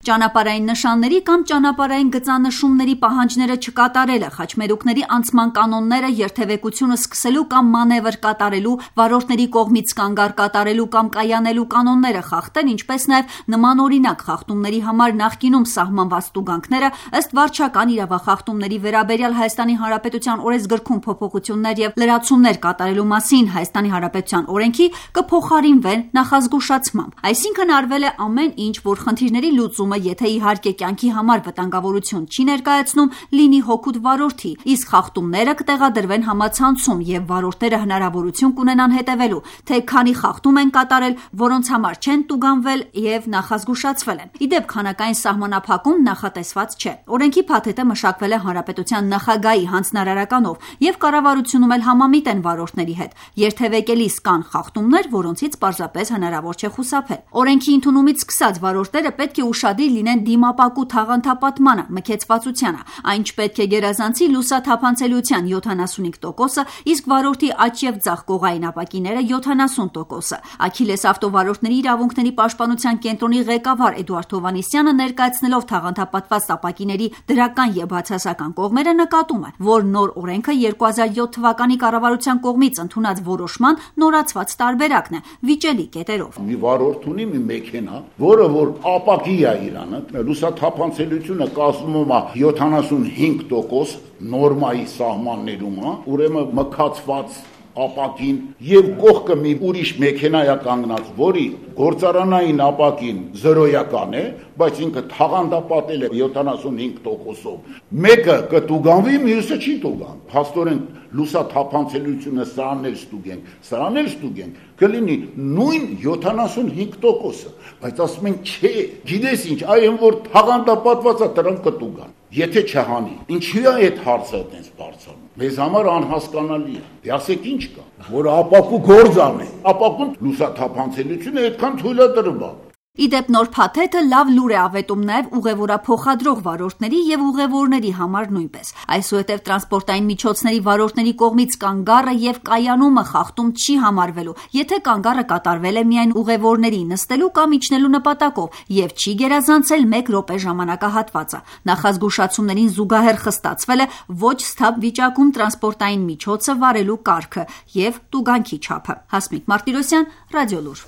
Ճանապարհային նշանների կամ ճանապարհային գծանշումների պահանջները չկատարելը, խաչմերուկների անցման կանոնները, երթևեկությունը սկսելու կամ մանևր կատարելու, վարորդների կողմից կանգառ կատարելու կամ կայանելու կանոնները խախտել, ինչպես նաև նմանօրինակ խախտումների համար նախկինում սահմանված տուգանքները, ըստ վարչական իրավախախտումների վերաբերյալ Հայաստանի Հանրապետության օրենսգրքում փոփոխություններ և լրացումներ կատարելու մասին Հայաստանի Հանրապետության օրենքի կփոխարինվեն նախազգուշացմամբ։ Այսինքն արվել է ամեն ինչ, որ խնդիրների լուծումը, եթե իհարկե կյանքի համար վտանգավորություն չի ներկայացնում, լինի հօգուտ վարորդի, իսկ խախտումները կտեղադրվեն համացանցում և վարորդները հնարավորություն կունենան հետևելու, թե քանի խախտում են կատարել, որոնց համար չեն տուգանվել և նախազգուշացվել են։ Ի դեպ, քանակային սահմանափակում նախատեսված չէ։ Օրենքի փաթեթը մշակվել է Հանրապետության նախագահի հանձնարարականով և կառավարությունում էլ համամիտ են վարորդների հետ։ Երթևեկելիս կան խախտումներ, որոնցից պարզապես հնարավոր չէ խուսափել։ Օրենքի ընդունումից սկսած վարորդները պետք է ուշադիր լինեն դիմապակու թաղանթապատմանը, մքեցվածությանը։ Այն չպետք է գերազանցի լուսաթափանցելիության 75%-ը, իսկ վարորդի աջ և ձախ կողային ապակիները 70%-ը։ Աքիլես ավտովարորդների իրավունքների պաշտպանության կենտրոնի ղեկավար Էդուարդ Հովհաննիսյանը ներկայացնելով թաղանթապատված ապակիների դրական և բացասական կողմերը նկատում է, որ նոր օրենքը 2007 թվականի կառավարության կողմից ընդունած որոշման նորացված տարբերակն է վիճելի կետերով։ Մի վարորդ ունի մի մեքենա, որը որ ապակի է իրանը, լուսաթափանցելիությունը կազմում է 75% նորմայի սահմաններում, ուրեմն մքացված ապակին եւ կողքը մի ուրիշ մեքենա է կանգնած, որի գործարանային ապակին 0-ական է, բայց ինքը թաղանթապատել է 75%-ով։ Մեկը կտուգանվի, մյուսը չի տուգան։ Փաստորեն լուսաթափանցելիությունը սրանել ստուգենք, կլինի նույն 75%-ը, բայց ասում են չէ, գիտես ինչ, այն որ թաղանթապատված է, դրանք կտուգան։ Եթե չհանի, ինչի է այդ հարցը այդպես բարձրանում։ Մեզ համար անհասկանալի է։ Դե ասեք ինչ կա, որ ապակու գործ անի։ Ապակուն լուսաթափանցելիությունը այդքան թույլատրվում է։ Ի դեպ, նոր փաթեթը լավ լուր է ավետում նաև ուղևորափոխադրող վարորդների և ուղևորների համար նույնպես։ Այսուհետև տրանսպորտային միջոցների վարորդների կողմից կանգառը և կայանումը խախտում չի համարվելու, եթե կանգառը կատարվել է միայն ուղևորների նստելու կամ իջնելու նպատակով և չի գերազանցել 1 րոպե ժամանակահատվածը։ Նախազգուշացումներին զուգահեռ խստացվել է ոչ սթափ վիճակում տրանսպորտային միջոցը վարելու կարգը և տուգանքի չափը։ Հասմիկ Մարտիրոսյան, Ռադիոլուր։